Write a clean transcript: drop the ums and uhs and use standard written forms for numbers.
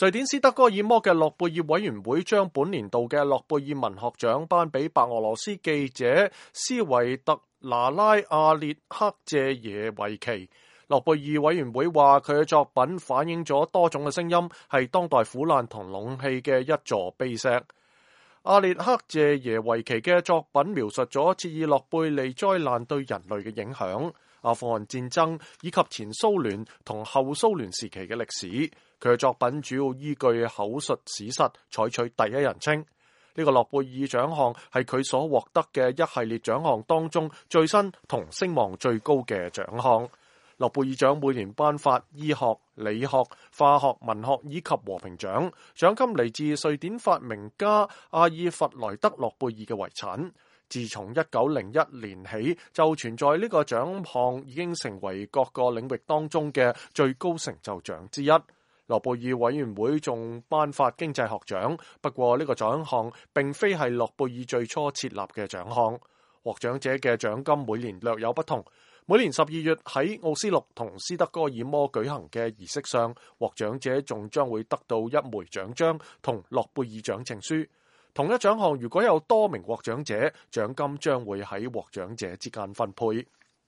瑞典斯德哥爾摩嘅諾貝爾委員會將本年度嘅諾貝爾文學獎頒俾白俄羅斯記者斯維特拿拉·阿列克謝耶維奇。諾貝爾委員會話佢嘅作品反映咗多種嘅聲音，係當代苦難同勇氣嘅一座碑石。阿列克謝耶維奇嘅作品描述咗切爾諾貝利災難對人類嘅影響、阿富汗戰爭以及前蘇聯同後蘇聯時期嘅歷史。佢嘅作品主要依據口述史實，採取第一人稱。呢個諾貝爾獎項係佢所獲得嘅一系列獎項當中最新同聲望最高嘅獎項。諾貝爾獎每年頒發醫學、理學、化學、文學以及和平獎，獎金嚟自瑞典發明家阿爾弗萊德諾貝爾嘅遺產。自從1901年起就存在呢個獎項，已經成為各個領域當中嘅最高成就獎之一。諾貝爾委員會仲頒發經濟學獎，不過呢個獎項並非係諾貝爾最初設立嘅獎項。獲獎者嘅獎金每年略有不同。每年12月喺奧斯陸同斯德哥爾摩舉行嘅儀式上，獲獎者仲將會得到一枚獎章同諾貝爾獎證書。同一獎項如果有多名獲獎者，獎金將會喺獲獎者之間分配。